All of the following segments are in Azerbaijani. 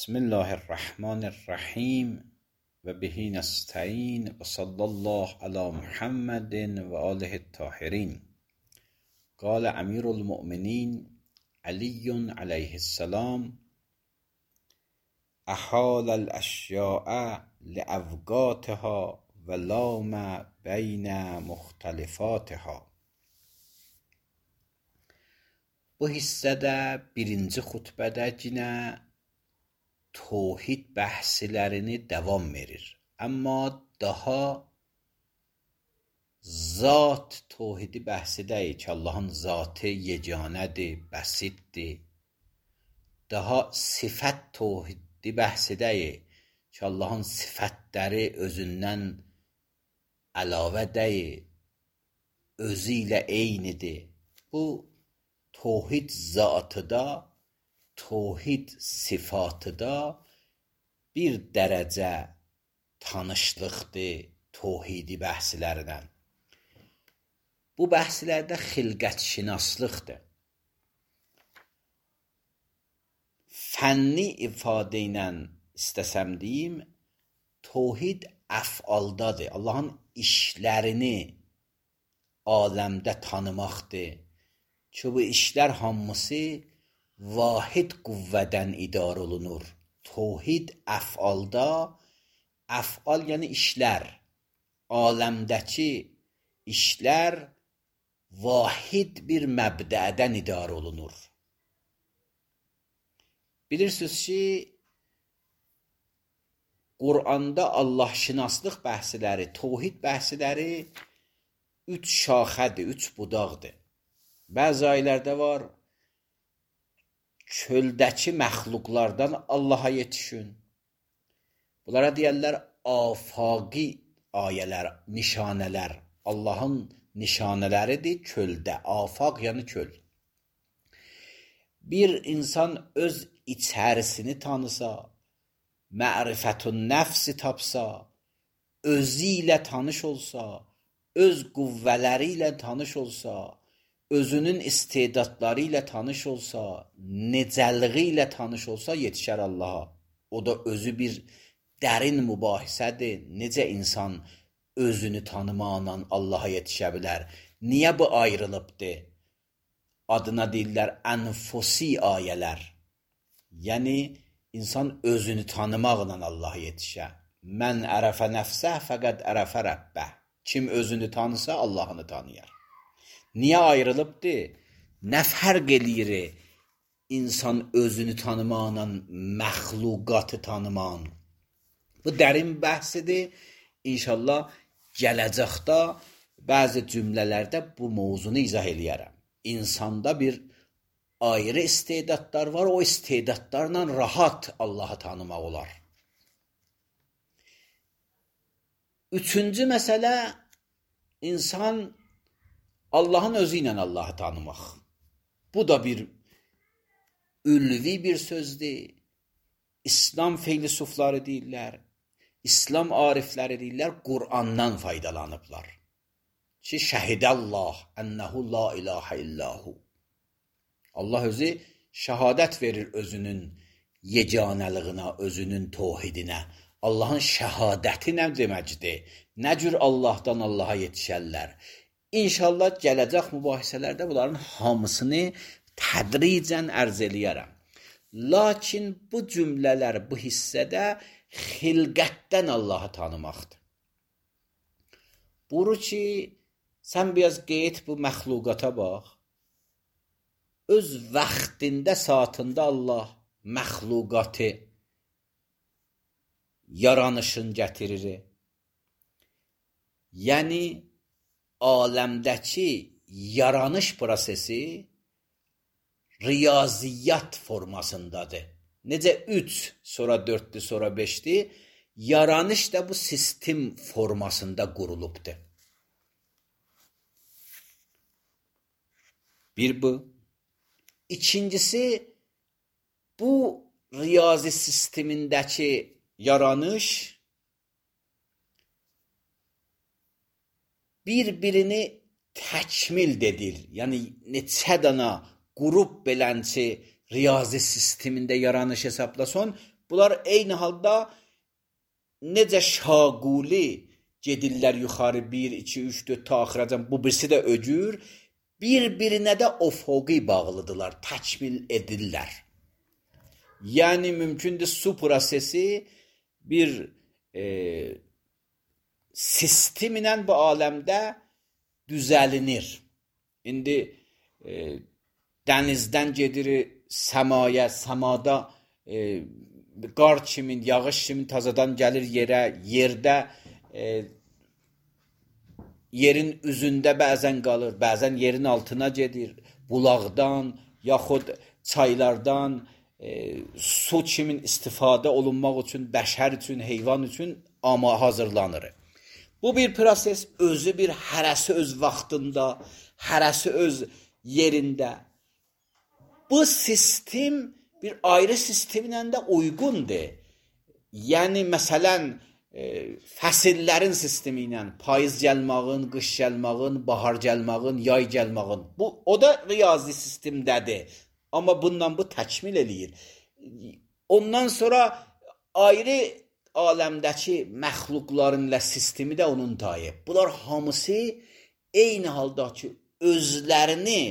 بسم الله الرحمن الرحیم و به نستعین و صلی الله علی محمد و آله الطاهرین. قال امیر المؤمنین علی علیه السلام: احال الاشیاء لاوقاتها و لام بین مختلفاتها. Bu hissədə birinci xutbədə yenə توحید bəhslərini davam verir. Amma daha zat توحیدی bəhsidəyik ki, Allahın zatı yeganədir, bəsiddir. Daha sifət توحیدی bəhsidəyik ki, Allahın sifətləri özündən əlavə deyil, özü ilə eynidir. Bu توحید zatıda, توحید sifatıda bir dərəcə tanışlıqdır توحیدی bəhslərdən. Bu bəhslərdə xilqətşinaslıqdır. Fənni ifadə ilə istəsəm deyim, توحید əfaldadır. Allahın işlərini aləmdə tanımaqdır. Ki bu işlər hamısı vahid qüvvədən idarə olunur. توحید əfalda, əfal yəni işlər, aləmdəki işlər vahid bir məbdədən idarə olunur. Bilirsiniz ki, Quranda Allahşınaslıq bəhsləri, توحید bəhsləri 3 şaxədir, 3 budaqdır. Bəzi ayələrdə var, çöldəki məxluqlardan Allaha yetişin. Bunlara deyərlər afaqi ayələr, nişanələr. Allahın nişanələridir çöldə. Afaq yəni çöl. Bir insan öz içərisini tanısa, mərifətun nəfsi tapsa, özü ilə tanış olsa, öz qüvvələri ilə tanış olsa, özünün istedadları ilə tanış olsa, necəliği ilə tanış olsa yetişər Allaha. O da özü bir dərin mübahisədir. Necə insan özünü tanımaqla Allaha yetişə bilər? Niyə bu ayrılıbdır? Adına deyirlər ənfusi ayələr. Yəni, insan özünü tanımaqla Allaha yetişə. Mən ərəfə nəfsə fəqəd ərəfə rəbbə. Kim özünü tanısa Allahını tanıyar. Niyə ayrılıbdır? Nə fərq eləyir insan özünü tanımaqla məxluqatı tanımaqla? Bu dərin bəhsidir. İnşallah gələcəkdə bəzi cümlələrdə bu mövzunu izah eləyərəm. İnsanda bir ayrı istedadlar var, o istedadlarla rahat Allahı tanımaq olar. Üçüncü məsələ, insan Allahın özü ilə Allahı tanımaq. Bu da bir ülvi bir sözdür. İslam filosofları deyirlər, İslam arifləri deyirlər, Qur'andan faydalanıblar. Ki, şəhidəllah ənəhu la ilahə illahu. Allah özü şəhadət verir özünün yeganəlığına, özünün tohidinə. Allahın şəhadəti nə deməkdir? Nə cür Allahdan Allaha yetişərlər? İnşallah gələcək mübahisələrdə bunların hamısını tədricən ərz eləyərəm. Lakin bu cümlələr bu hissədə xilqətdən Allahı tanımaqdır. Buyurur ki, sən biraz qeyd bu məxluqata bax. Öz vaxtında, saatında Allah məxluqatı yaranışın gətirir. Yəni, aləmdəki yaranış prosesi riyaziyyat formasındadır. Necə 3, sonra 4-dür, sonra 5-dir, yaranış da bu sistem formasında qurulubdur. Bir bu. İkincisi, bu riyazi sistemindəki yaranış bir-birini təkmil edir. Yəni, neçə dana qrup belənçi riyazi sistemində yaranış hesaplasan, bu Bunlar eyni halda necə şaquli gedirlər yuxarı 1, 2, 3, 4 ta axıracan, bu birisi də öcür, bir-birinə də ofoqi bağlıdırlar, təkmil edirlər. Yəni mümkündür su prosesi bir sistem ilə bu aləmdə düzəlinir. İndi dənizdən gedir səmaya, səmada qar kimi, yağış kimi tazadan gəlir yerə, yerdə yerin üzündə bəzən qalır, bəzən yerin altına gedir, bulaqdan, yaxud çaylardan su kimi istifadə olunmaq üçün, bəşər üçün, heyvan üçün hazırlanır. Bu bir proses, özü bir hərəsi öz vaxtında, hərəsi öz yerində. Bu sistem bir ayrı sistemlə də uyğundur. Yəni, məsələn, fəsillərin sistemi ilə payız gəlmağın, qış gəlmağın, bahar gəlmağın, yay gəlmağın. O da riyazi sistemdədir. Amma bundan bu təkmil eləyir. Ondan sonra ayrı aləmdəki məxluqların sistemi də onun tayı. Bunlar hamısı eyni halda ki, özlərini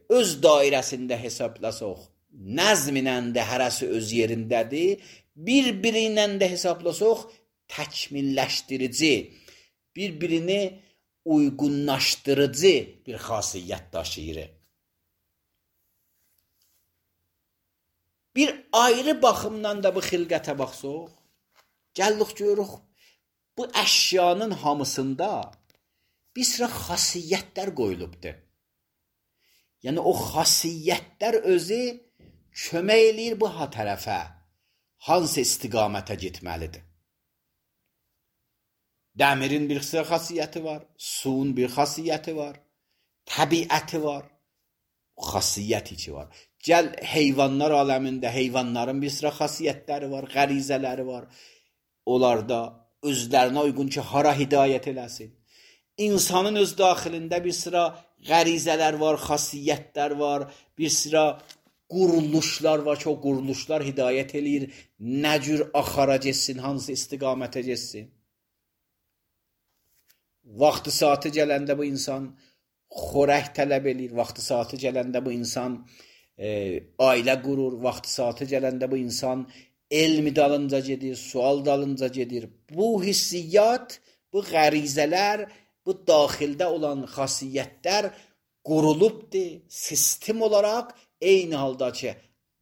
öz dairəsində hesablasaq, nəzminlə də hərəsi öz yerindədir, bir-birinlə də hesablasaq, təkmilləşdirici, bir-birini uyğunlaşdırıcı bir xasiyyət daşıyır. Bir ayrı baxımdan da bu xilqətə baxsaq, gəldik görürük, bu əşyanın hamısında bir sıra xasiyyətlər qoyulubdur. Yəni, o xasiyyətlər özü kömək eləyir bu tərəfə, hansı istiqamətə getməlidir. Dəmirin bir sıra xasiyyəti var, suyun bir xasiyyəti var, təbiəti var, xasiyyət içi var. Gəl, heyvanlar aləmində heyvanların bir sıra xasiyyətləri var, qərizələri var. Onlarda özlərinə uyğun ki, hara hidayət eləsin. İnsanın öz daxilində bir sıra qərizələr var, xasiyyətlər var, bir sıra quruluşlar var ki, o quruluşlar hidayət eləyir, nə cür axara getsin, hansı istiqamətə getsin. Vaxtı saatı gələndə bu insan xörək tələb eləyir, vaxtı saatı gələndə bu insan ailə qurur, vaxtı saatı gələndə bu insan elmi dalınca gedir, sual dalınca gedir. Bu hissiyyat, bu qərizələr, bu daxildə olan xasiyyətlər qurulubdur, sistem olaraq eyni halda ki,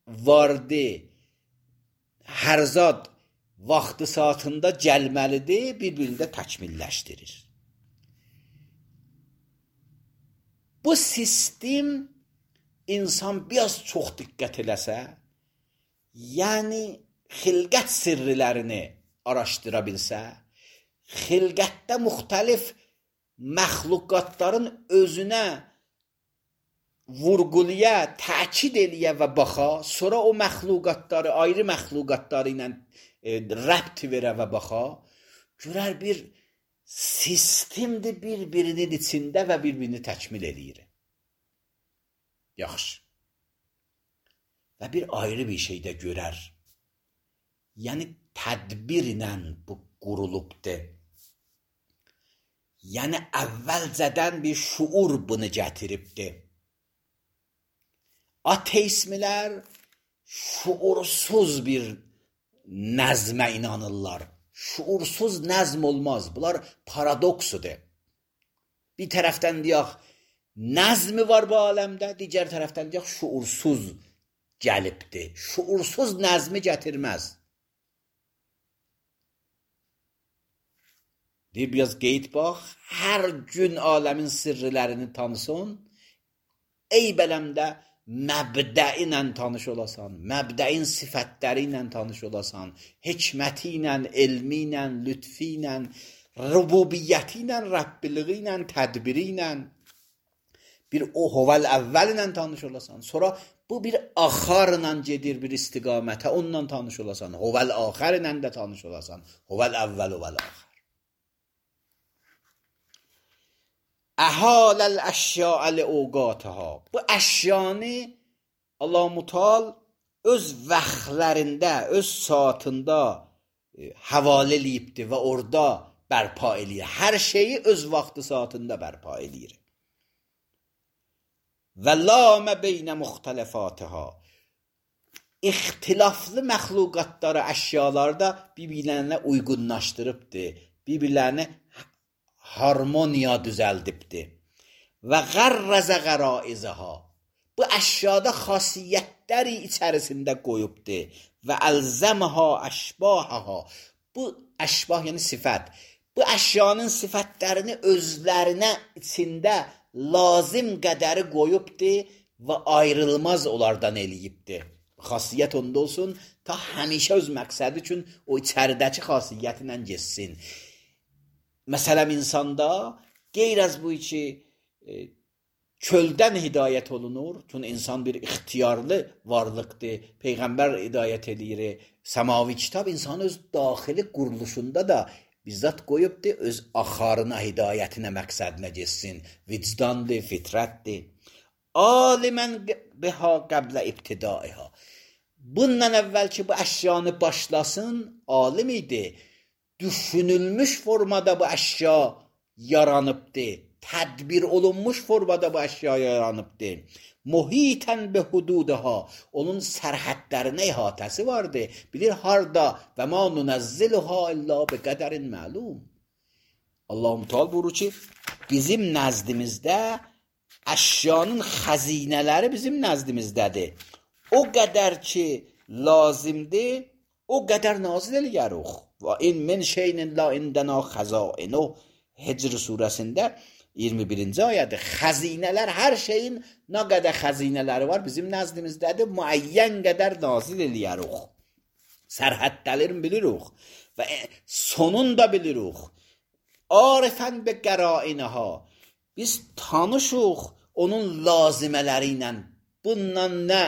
vardı, hər zat vaxtı saatında gəlməlidir, bir-birini də təkmilləşdirir. Bu sistem insan biraz çox diqqət eləsə, yəni xilqət sirrilərini araşdıra bilsə, xilqətdə müxtəlif məxluqatların özünə vurğuluya, təkid eləyə və baxa, sonra o məxluqatları, ayrı məxluqatları ilə rəbt verə və baxa, görər bir sistemdir bir-birinin içində və bir-birini təkmil eləyir. Yaxşı. Və bir ayrı bir şey də görər. Yəni, tədbirlə bu qurulubdur. Yəni, əvvəlcədən bir şuur bunu gətiribdir. Ateistlər şuursuz bir nəzmə inanırlar. Şuursuz nəzm olmaz. Bunlar paradoksudur. Bir tərəfdən deyək, nəzmi var bu aləmdə, digər tərəfdən deyək, şuursuz gəlibdir. Şuursuz nəzmi gətirməz. Deyir, biraz qeyd bax, hər gün aləmin sirrilərini tanısın, eybələmdə məbdəi ilə tanış olasan, məbdəin sifətləri ilə tanış olasan, hikməti ilə, elmi ilə, lütfi ilə, rububiyyəti ilə, Rəbbiliği ilə, tədbiri ilə, bir o hovel əvvəl ilə tanış olasan, sonra bu bir axarla gedir bir istiqamətə, onunla tanış olasan, hovel axər ilə də tanış olasan, hovel əvvəl, hovel axər. Əhələl əşya'əl əvqatəha. Bu əşyanı Allah-u Teala öz vaxtlarında, öz saatında havalə eləyibdir və orada bərpa eləyir. Hər şeyi öz vaxtı saatında bərpa eləyir. Və lamə beynə müxtələfatihə. İxtilaflı məxluqatları, əşyalarda bir-birlərinə uyğunlaşdırıbdır. Bir-birlərinə harmoniya düzəldibdir. Və qərrəzə qəraizəha. Bu əşyada xasiyyətləri içərisində qoyubdur. Və əlzəməhə əşbahəhə. Bu əşbah yəni sifət. Bu əşyanın sifətlərini özlərinə içində lazım qədəri qoyubdur və ayrılmaz onlardan eləyibdir. Xasiyyət onda olsun, ta həmişə öz məqsədi üçün o içəridəki xasiyyəti ilə geçsin. Məsələn, insanda qeyr az bu ki, çöldən hidayət olunur. Çünki insan bir ixtiyarlı varlıqdır. Peyğəmbər hidayət edir. Səmavi kitab insanın öz daxili quruluşunda da bizzat qoyubdur, öz axarına, hidayətinə, məqsədinə geçsin. Vicdandır, fitrətdir. Alimən biha qəblə ibtidaiha. Bundan əvvəl ki, bu əşyanı başlasın, alim idi. Düşünülmüş formada bu əşya yaranıbdır. Tədbir olunmuş formada bu əşya yaranıbdır. Muhitən bi hududaha. Onun sərhədlərinə ihatəsi vardır. Bilir harda və ma nunəzziluha illa bi qədərin məlum. Allah-u Teala buyurur ki, bizim nəzdimizdə əşyanın xəzinələri bizim nəzdimizdədir. O qədər ki lazımdır, o qədər nazil eləyərik. Və in min şeyin la indəna xəzainu. Hicr surəsində 21-ci ayədir. Xəzinələr, hər şeyin nə qədər xəzinələri var bizim nəzdimizdədir. Müəyyən qədər nazil eləyərik. Sərhədlərini bilirik və sonunu da bilirik. Arifən bi qərainəha. Biz tanışıq onun lazimələri ilə. Bundan nə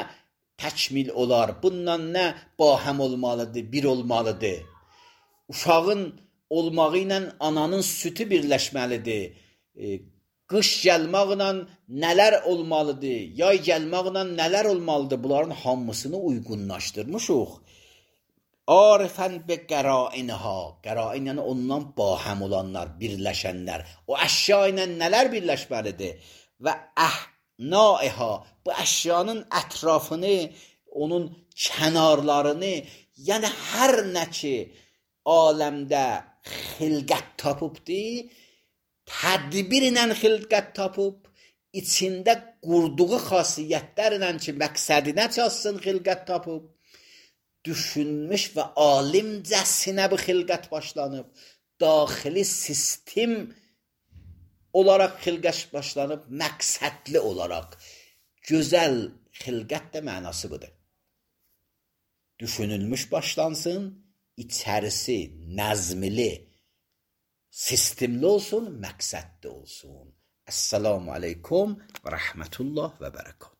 təkmil olar, bundan nə bahəm olmalıdır, bir olmalıdır. Uşağın olmağı ilə ananın sütü birləşməlidir. Qış gəlməklə nələr olmalıdır, yay gəlməklə nələr olmalıdır, bunların hamısını uyğunlaşdırmışıq. Arifən bi qərainəha. Qərain yəni ondan bahəm olanlar, birləşənlər. O əşya ilə nələr birləşməlidir? Və əhnaiha. Bu əşyanın ətrafını, onun kənarlarını, yəni hər nə ki aləmdə xilqət tapıbdır, tədbir ilə xilqət tapıb, içində qurduğu xasiyyətlərlə ki, məqsədinə çatsın xilqət tapıb, düşünmüş və alimcəsinə bu xilqət başlanıb, daxili sistem olaraq xilqət başlanıb, məqsədli olaraq. Gözəl xilqət də mənası budur. Düşünülmüş başlansın, içərisi nəzmli, sistemli olsun, məqsədli olsun. Əssalamu aleykum və rəhmətullah və bərəkət.